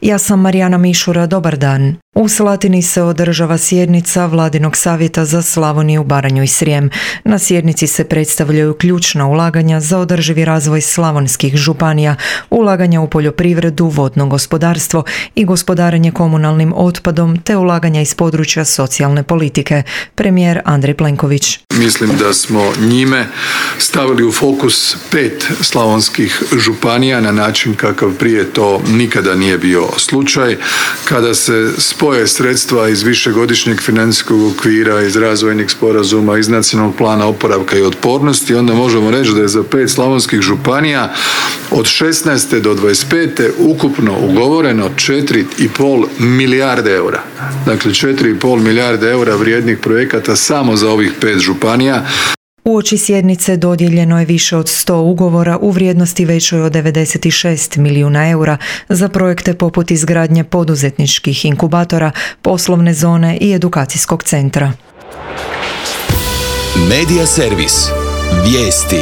Ja sam Marijana Mišura, dobar dan. U Slatini se održava sjednica Vladinog savjeta za Slavoniju, Baranju i Srijem. Na sjednici se predstavljaju ključna ulaganja za održivi razvoj slavonskih županija, ulaganja u poljoprivredu, vodno gospodarstvo i gospodarenje komunalnim otpadom te ulaganja iz područja socijalne politike. Premijer Andrej Plenković. Mislim da smo njime stavili u fokus 5 slavonskih županija na način kakav prije to nikada nije bio slučaj. Kada se spoje sredstva iz višegodišnjeg financijskog okvira, iz razvojnih sporazuma, iz nacionalnog plana oporavka i otpornosti, onda možemo reći da je za 5 slavonskih županija od 16. do 25. ukupno ugovoreno 4,5 milijarde eura. Dakle, 4,5 milijarde eura vrijednih projekata samo za ovih 5 županija. Uoči sjednice dodijeljeno je više od 100 ugovora u vrijednosti većoj od 96 milijuna eura za projekte poput izgradnje poduzetničkih inkubatora, poslovne zone i edukacijskog centra. Medija servis. Vijesti.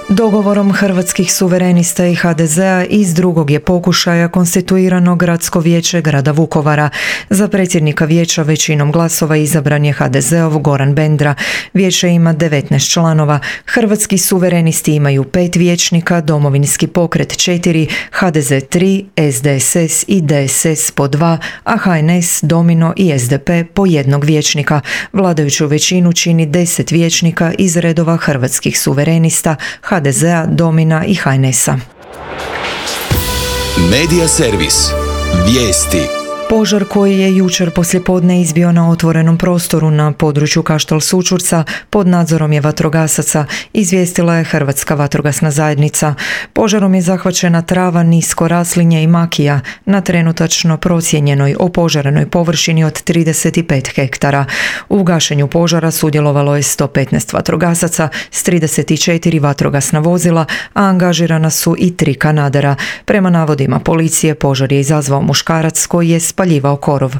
Dogovorom Hrvatskih suverenista i HDZ-a iz drugog je pokušaja konstituirano Gradsko vijeće grada Vukovara. Za predsjednika vijeća većinom glasova izabran je HDZ-ov Goran Bendra. Vijeće ima 19 članova. Hrvatski suverenisti imaju 5 vijećnika, Domovinski pokret 4, HDZ 3, SDSS i DSS po 2, a HNS, Domino i SDP po jednog vijećnika. Vladajuću većinu čini 10 vijećnika iz redova Hrvatskih suverenista, HDZ-a, Domina i HNS-a. Medija servis. Vijesti. Požar koji je jučer poslijepodne izbio na otvorenom prostoru na području Kaštel Sućurca pod nadzorom je vatrogasaca, izvijestila je Hrvatska vatrogasna zajednica. Požarom je zahvaćena trava, nisko raslinje i makija na trenutačno procijenjenoj opožarenoj površini od 35 hektara. U gašenju požara sudjelovalo je 115 vatrogasaca s 34 vatrogasna vozila, a angažirana su i 3 kanadera. Prema navodima policije, požar je izazvao muškarac koji je spaljivao korov.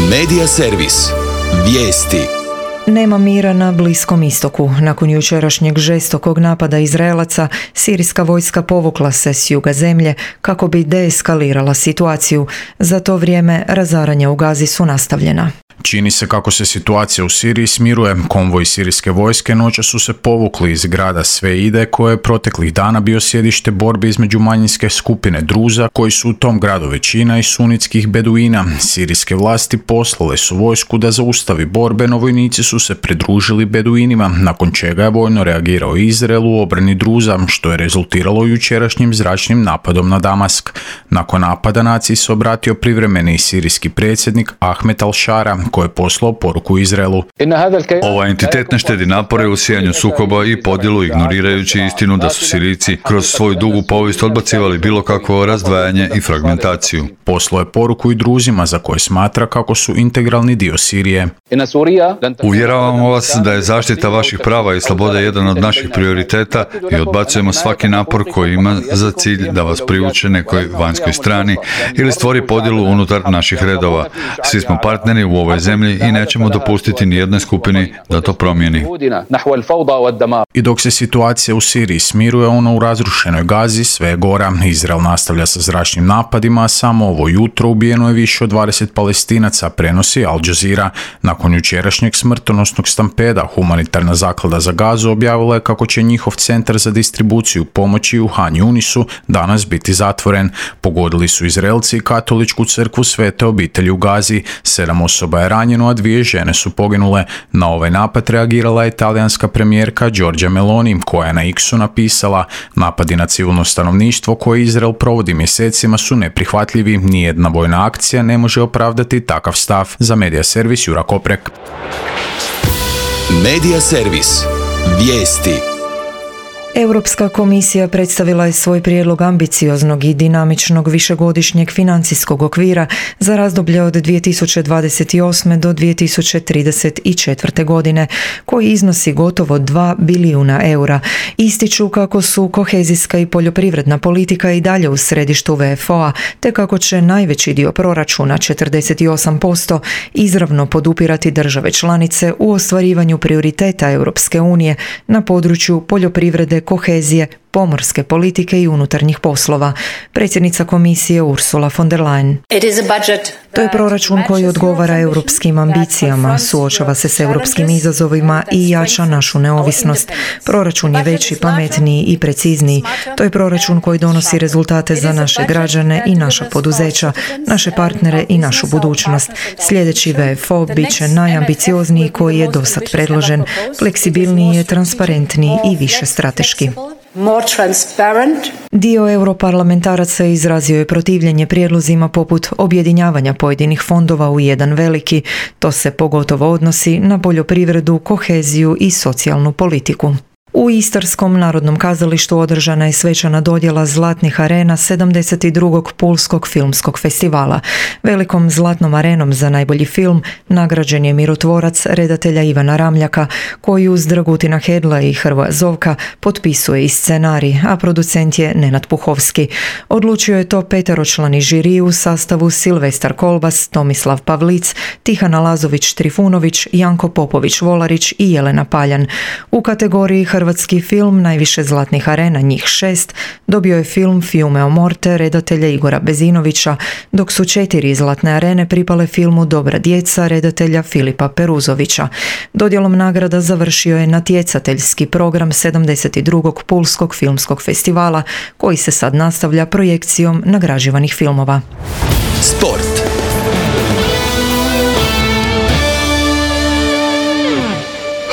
Medija servis. Vijesti. Nema mira na Bliskom istoku. Nakon jučerašnjeg žestokog napada Izraelaca, sirijska vojska povukla se s juga zemlje kako bi deeskalirala situaciju. Za to vrijeme razaranja u Gazi su nastavljena. Čini se kako se situacija u Siriji smiruje. Konvoji sirijske vojske noća su se povukli iz grada Sveide, koje je proteklih dana bio sjedište borbe između manjinske skupine Druza, koji su u tom gradu većina, i sunitskih beduina. Sirijske vlasti poslale su vojsku da zaustavi borbe, no vojnici su se pridružili beduinima, nakon čega je vojno reagirao Izrael u obrani Druza, što je rezultiralo jučerašnjim zračnim napadom na Damask. Nakon napada naciji se obratio privremeni sirijski predsjednik Ahmed al-Shara, koji je poslao poruku Izraelu. Ovaj entitet ne štedi napore u sijanju sukoba i podjelu, ignorirajući istinu da su Sirijci kroz svoju dugu povijest odbacivali bilo kakvo razdvajanje i fragmentaciju. Poslao je poruku i Druzima, za koje smatra kako su integralni dio Sirije. Uvjeravamo vas da je zaštita vaših prava i slobode jedan od naših prioriteta i odbacujemo svaki napor koji ima za cilj da vas privuče nekoj vanjskoj strani ili stvori podjelu unutar naših redova. Svi smo partneri u ovoj zemlji i nećemo dopustiti nijednoj skupini da to promijeni. I dok se situacija u Siriji smiruje, ona u razrušenoj Gazi sve je gora. Izrael nastavlja sa zračnim napadima, a samo ovo jutro ubijeno je više od 20 Palestinaca, prenosi Al Jazeera. Nakon jučerašnjeg smrtonosnog stampeda, humanitarna zaklada za Gazu objavila je kako će njihov centar za distribuciju pomoći u Han Yunisu danas biti zatvoren. Pogodili su Izraelci katoličku crkvu Svete obitelji u Gazi. 7 osoba je ranjeno, a 2 žene su poginule. Na ovaj napad reagirala je talijanska premijerka Giorgia Meloni, koja je na X-u napisala: napadi na civilno stanovništvo koje Izrael provodi mjesecima su neprihvatljivi. Nijedna vojna akcija ne može opravdati takav stav. Za Medija servis Jura Koprek. Medija servis. Vijesti. Europska komisija predstavila je svoj prijedlog ambicioznog i dinamičnog višegodišnjeg financijskog okvira za razdoblje od 2028. do 2034. godine, koji iznosi gotovo 2 bilijuna eura. Ističu kako su kohezijska i poljoprivredna politika i dalje u središtu VFO-a, te kako će najveći dio proračuna, 48%, izravno podupirati države članice u ostvarivanju prioriteta Europske unije na području poljoprivrede, kohezije, pomorske politike i unutarnjih poslova. Predsjednica komisije Ursula von der Leyen. To je proračun koji odgovara europskim ambicijama, suočava se s europskim izazovima i jača našu neovisnost. Proračun je veći, pametniji i precizniji. To je proračun koji donosi rezultate za naše građane i naša poduzeća, naše partnere i našu budućnost. Sljedeći VFO bit će najambiciozniji koji je dosad predložen. Fleksibilniji je, transparentniji i više strateški. Dio europarlamentaraca izrazio je protivljenje prijedlozima poput objedinjavanja pojedinih fondova u jedan veliki. To se pogotovo odnosi na poljoprivredu, koheziju i socijalnu politiku. U Istarskom narodnom kazalištu održana je svečana dodjela Zlatnih arena 72. Pulskog filmskog festivala. Velikom Zlatnom arenom za najbolji film nagrađen je mirotvorac redatelja Ivana Ramljaka, koji uz Dragutina Hedla i Hrvoja Zovka potpisuje i scenarij, a producent je Nenad Puhovski. Odlučio je to peteročlani žiri u sastavu Silvestar Kolbas, Tomislav Pavlic, Tihana Lazović-Trifunović, Janko Popović-Volarić i Jelena Paljan. U kategoriji hrvatski film najviše Zlatnih arena, njih 6, dobio je film Fiume o morte redatelja Igora Bezinovića, dok su 4 Zlatne arene pripale filmu Dobra djeca redatelja Filipa Peruzovića. Dodjelom nagrada završio je natjecateljski program 72. Pulskog filmskog festivala, koji se sad nastavlja projekcijom nagrađivanih filmova. Sport.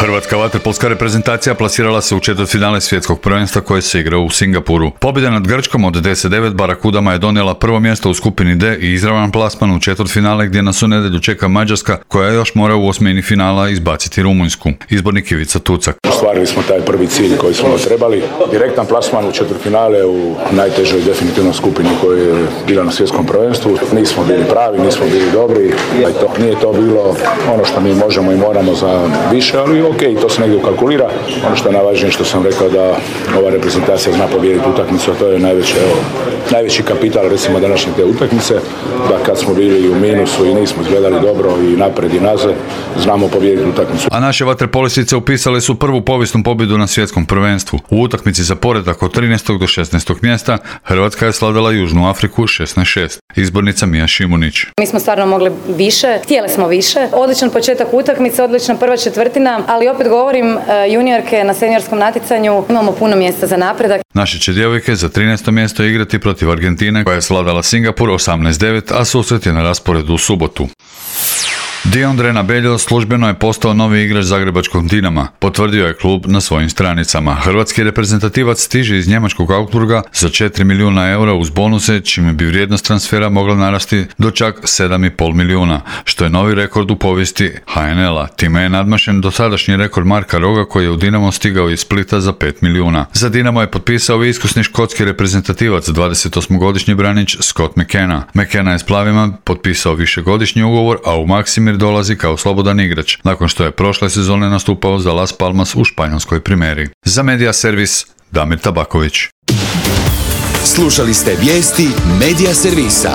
Hrvatska vaterpolska reprezentacija plasirala se u četvrtfinale svjetskog prvenstva koje se igra u Singapuru. Pobjeda nad Grčkom od 10-9 Barakudama je donijela prvo mjesto u skupini D i izravan plasman u četvrtfinale gdje nas u nedjelju čeka Mađarska, koja još mora u osmini finala izbaciti Rumunjsku. Izbornik Ivica Tucak. Ostvarili smo taj prvi cilj koji smo trebali. Direktan plasman u četvrtfinale u najtežoj definitivno skupini koja je bila na svjetskom prvenstvu. Nismo bili pravi, nismo bili dobri. Nije to bilo ono što mi možemo i moramo za više, ali ok, to se negdje ukalkulira. Ono što je najvažnije što sam rekao da ova reprezentacija zna pobijediti utakmicu, a to je najveći kapital recimo današnje te utakmice, da kad smo bili u minusu i nismo izgledali dobro i napred i nazad, znamo pobijediti utakmicu. A naše vaterpolistice upisale su prvu povijesnu pobjedu na svjetskom prvenstvu. U utakmici za poredak od 13. do 16. mjesta Hrvatska je slavila Južnu Afriku 16-6. Izbornica Mija Šimunić. Mi smo stvarno mogli više, htjeli smo više. Odličan početak utakmice, odlična prva četvrtina, ali opet govorim, juniorke na seniorskom natjecanju imamo puno mjesta za napredak. Naše će djevojke za 13. mjesto igrati protiv Argentine, koja je svladala Singapur 18-9, a susret je na rasporedu u subotu. Diondre Nabeljo službeno je postao novi igrač zagrebačkog Dinama, potvrdio je klub na svojim stranicama. Hrvatski reprezentativac stiže iz njemačkog Augsburga za 4 milijuna eura uz bonuse, čime bi vrijednost transfera mogla narasti do čak 7,5 milijuna, što je novi rekord u povijesti HNL-a. Time je nadmašen dosadašnji rekord Marka Roga, koji je u Dinamo stigao iz Splita za 5 milijuna. Za Dinamo je potpisao i iskusni škotski reprezentativac, 28-godišnji branič Scott McKenna. McKenna je s plavima potpisao višegodišnji ugovor, a u Maksimir dolazi kao slobodan igrač, nakon što je prošle sezone nastupao za Las Palmas u španjolskoj primeri. Za Media Servis, Damir Tabaković. Slušali ste vijesti Media Servisa.